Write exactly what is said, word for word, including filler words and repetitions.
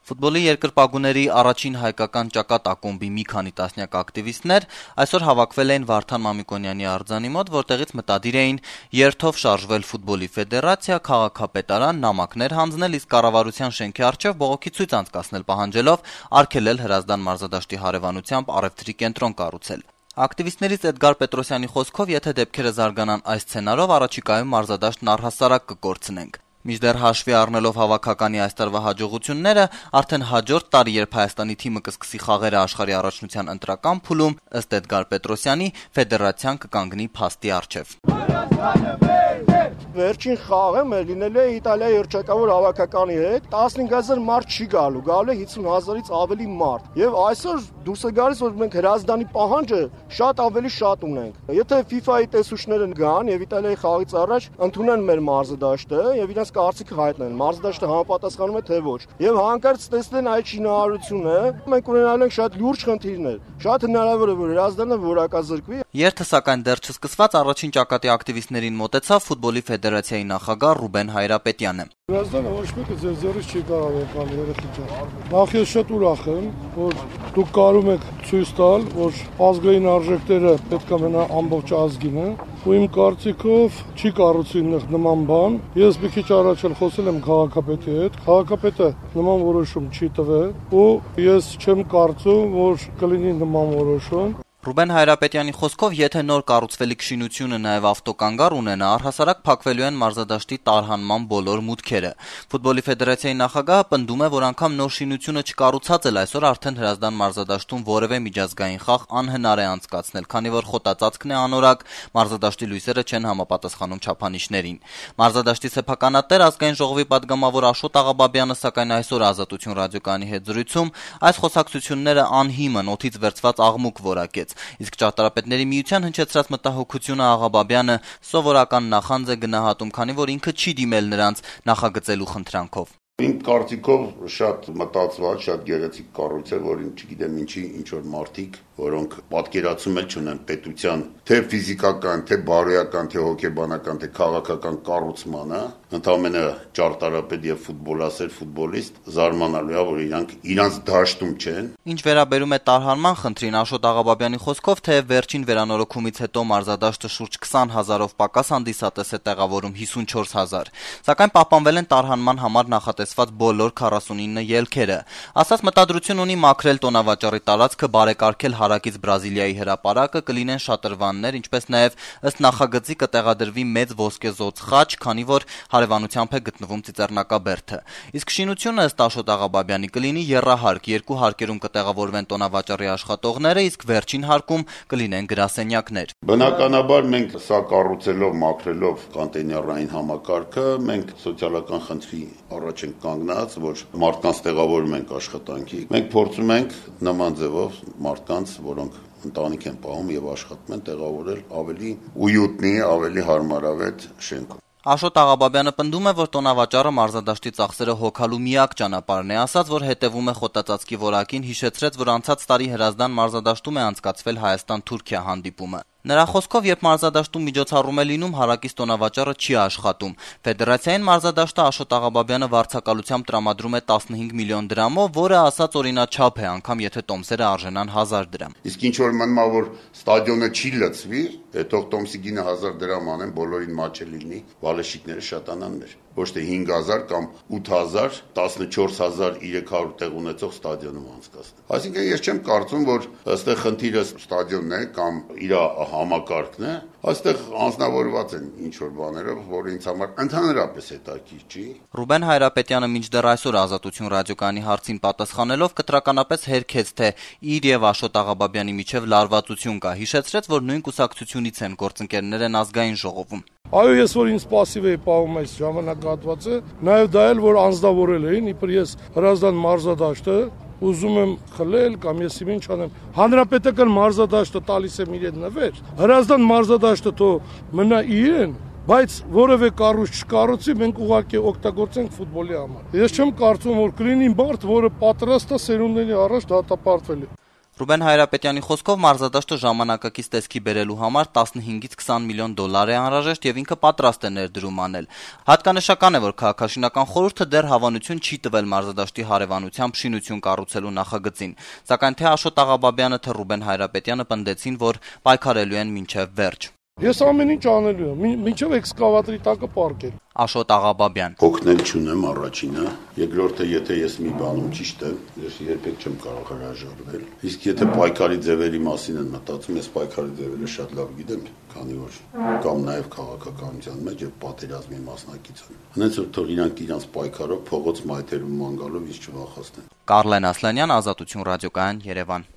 Ֆուտբոլի երկրպագուների առաջին հայկական ճակատ ակումբի մի քանի տասնյակ ակտիվիստներ այսօր հավաքվել էին Վարդան Մամիկոնյանի արձանի մոտ, որտեղից մտադիր էին երթով շարժվել Ֆուտբոլի ֆեդերացիա, քաղաքապետարան, նամակներ հանձնել, իսկ կառավարության շենքի առջև բողոքի ցույց անցկացնել պահանջելով արգելել Հրազդան մարզադաշտի հարևանությամբ առևտրի կենտրոն կառուցել։ Ակտիվիստներից Էդգար Պետրոսյանի խոսքով, եթե դեպքերը զարգանան այս սցենարով, առաջիկայում մարզադաշտն առհասարակ կկորցնենք։ Մինչդեռ հաշվի առնելով հավաքականի այս տարվա հաջողությունները, արդեն հաջորդ տարի, երբ Հայաստանի թիմը կսկսի խաղերը աշխարհի առաջնության ընտրական փուլում, ըստ Էդգար Պետրոսյանի, ֆեդերացիան կկանգնի փաստի առջև։ Վերջին խաղը մեր լինել է Իտալիայի երգչակավոր հավաքականի հետ, տասնհինգ հազար մարդ չի գալու, գալու է հիսուն հազարից ավելի մարդ։ Եվ այսօր դուրս է գալիս, որ մենք Հրազդանի պահանջը շատ ավելի շատ ունենք։ Եթե FIFA-ի տեսուչները գան եւ Իտալիայի խաղից առաջ ընդունեն մեր մարզադաշտը եւ իրենց կարծիքը հայտնեն, մարզադաշտը համապատասխանում է թե ոչ։ Եվ հանկարծ տեսնեն այդ շինարարությունը, մենք ունենալու ենք շատ լուրջ խնդիրներ։ Շատ հնարավոր է, որ Հրազդանը որակազրկվի։ Երթը սակայն դեռ չսկսված առաջին ճակատի ակտիվիստներին մոտեցավ Ֆուտբոլի ֆեդերացիայի նախագահ Ռուբեն Հայրապետյանը։ Հրազդանը ոչ մեկը ձեր ձեռից չի կարող եկալ երեխեքին։ Նախ ես շատ ուրախ եմ, որ դուք կարում եք ցույց տալ, որ ազգային արժեքները պետք է մնա ամբողջ ազգինը, ու իմ կարծիքով չի կառուցի նման բան։ Ես մի քիչ առաջ էլ խոսել եմ քաղաքապետի հետ, քաղաքապետը նման որոշում չի տվել, ու ես չեմ կարծում, որ կլինի նման որոշում։ Ռուբեն Հայրապետյանի խոսքով, եթե նոր կառուցվելիք շինությունը նաև ավտոկանգար ունենա, առհասարակ փակվելու են մարզադաշտի տարհանման բոլոր մուտքերը։ Ֆուտբոլի ֆեդերացիայի նախագահը պնդում է, որ անգամ նոր շինությունը չկառուցած էլ այսօր արդեն Հրազդան մարզադաշտում որևէ միջազգային խաղ անհնար է անցկացնել, քանի որ խոտածածկն է անորակ, մարզադաշտի լույսերը չեն համապատասխանում չափանիշներին։ Մարզադաշտի սեփականատեր ազգային ժողովի պատգամավոր Աշոտ Աղաբաբյանը սակայն այսօր Ազատություն ռադիոկայանի հետ զրույցում այս խոսակցությունները անհիմն, օդից վերցված աղմուկ որակեց։ Իսկ ճարտարապետների միության հնչեցրած մտահոգությունը Աղաբաբյանը սովորական նախանձ է գնահատում, քանի որ ինքը չի դիմել նրանց նախագծելու խնդրանքով։ Իմ կարծիքով շատ մտածված, շատ գեղեցիկ կառույց է, որին չգիտեմ ինչի ինչ որ մարդիկ, որոնք պատկերացում էլ չունեն պետության թե ֆիզիկական, թե բարոյական, թե հոգեբանական, թե քաղաքական կառուցմանը, ընդամենը ճարտարապետ եւ ֆուտբոլասեր ֆուտբոլիստ զարմանալու է, որ իրանք իրանց դաշտում չեն։ Ինչ վերաբերում է տարհանման խնդրին, Աշոտ Աղաբաբյանի խոսքով, թե վերջին վերանորոգումից հետո մարզադաշտը շուրջ քսան հազարով պակաս հանդիսատես է տեղավորում հիսունչորս հազար, սակայն պահպանվել են տարհանման համար նախատեսված բոլոր քառասունինը ելքերը։ Ասած մտադրություն ունի մաքրել տոնավաճառի տարածքը, բարեկարգել հարակից Բրազիլիայի հրապարակը, կլինեն շատրվաններ, ինչպես նաև ըստ նախագծի կտեղադրվի մեծ ոսկեզոծ խաչ, քանի որ հարևանությամբ է գտնվում ծիծեռնակաբերդը։ Իսկ շինությունը ըստ Աշոտ Աղաբաբյանի կլինի եռահարկ, երկու հարկերում կտեղավորվեն տոնավաճառի աշխատողները, իսկ վերջին հարկում կլինեն գրասենյակներ։ Բնականաբար մենք սա կառուցելով, մաքրելով կոնտեյներային համակարգը, մենք սոցիալական խնդրի առաջ ենք կանգնած, որ մարդկանց տեղավորում ենք աշխատանքի։ Մենք փորձում ենք նման ձևով մարդկանց, որոնք ընտանիք են պահում եւ աշխատում են, տեղավորել ավելի ույուտնի, ավելի հարմարավետ շենքում։ Աշոտ Աղաբաբյանը պնդում է, որ տոնավաճառը մարզադաշտի ծախսերը հոգալու միակ ճանապարհն է, ասաց, որ հետևում է խոտածածկի որակին, հիշեցրեց, որ անցած տարի Հրազդան մարզադաշտում է անցկացվել Հայաստան-Թուրքիա հանդիպումը։ Նրա խոսքով, երբ մարզադաշտում միջոցառում է լինում, հարակից տոնավաճառը չի աշխատում։ Ֆեդերացիային մարզադաշտը Աշոտ Աղաբաբյանը վարձակալությամբ տրամադրում է տասնհինգ միլիոն դրամով, որը ասած օրինաչափ է, անգամ եթե տոմսերը արժենան հազար դրամ։ Իսկ ինչ որ մնա, որ ստադիոնը չի լցվի, թող տոմսի գինը հազար դրամ անեն, բոլորին մաչը լինի, բալեշիկները շատանան մեր։ Ոչ թե հինգ հազար կամ ութ հազար, տասնչորս հազար երեք հարյուր տեղ ունեցող ստադիոնում անցկացնել։ Այսինքն ես չեմ կարծում, որ ըստեղ խնդիրը ստադիոնն է կամ իր համակարգն է, այստեղ անձնավորված են ինչ որ բաներով, որը ինձ համար ընդհանրապես հետաքրքիր չի։ Ռուբեն Հայրապետյանը մինչդեռ այսօր Ազատություն ռադիոկայանի հարցին պատասխանելով կտրականապես հերքեց, թե իր եւ Աշոտ Աղաբաբյանի միջև լարվածություն կա, հիշեցրեց, որ նույն կուսակցությունից են, գործընկերներ են ազգային ժողովում։ Այո, ես որ ինձ пассив էի պահում այս ժամանակահատվածը, նաև դա էլ որ անձնավորել էին, իբր ես Հրազդան մարզադաշտը ուզում եմ խլել կամ ես ինչ անեմ։ Հանրապետական մարզադաշտը տալիս եմ իրեն նվեր։ Հրազդան մարզադաշտը թո մնա իրեն, բայց որևէ կառույց չկառուցի, մենք ուղղակի օգտագործենք ֆուտբոլի համար։ Ես չեմ կարծում, որ կլինի մարդ, որը պատրաստ է սերունդների առաջ դատապարտվել։ Ռուբեն Հայրապետյանի խոսքով մարզադաշտը ժամանակակից տեսքի բերելու համար տասնհինգից քսան միլիոն դոլար է անհրաժեշտ եւ ինքը պատրաստ է ներդրում անել։ Հատկանշական է, որ քաղաքաշինական խորհուրդը դեռ հավանություն չի տվել մարզադաշտի հարևանությամբ շինություն կառուցելու նախագծին, սակայն թե Աշոտ Աղաբաբյանը, թե Ռուբեն Հայրապետյանը պնդեցին, որ պայքարելու են մինչեւ վերջ։ Ես ամեն ինչ անելու եմ, մինչև էքսկավատորի տակը պարկել։ Աշոտ Աղաբաբյան. Օգնել չունեմ առաջինը, երկրորդը, եթե ես մի բանում ճիշտ եմ, ես երբեք չեմ կարող հրաժարվել։ Իսկ եթե պայքարի ձևերի մասին են մտածում, ես պայքարի ձևերը շատ լավ գիտեմ, քանի որ կամ նաև քաղաքականության մեջ եւ պատերազմի մասնակից եմ։ Հենց որ թող իրանք իրանց պայքարով փողոց մայթերում ման գալով ինձ չվախացնեն։ Կարլեն Ասլանյան, Ազատություն ռադիոկայան, Երևան։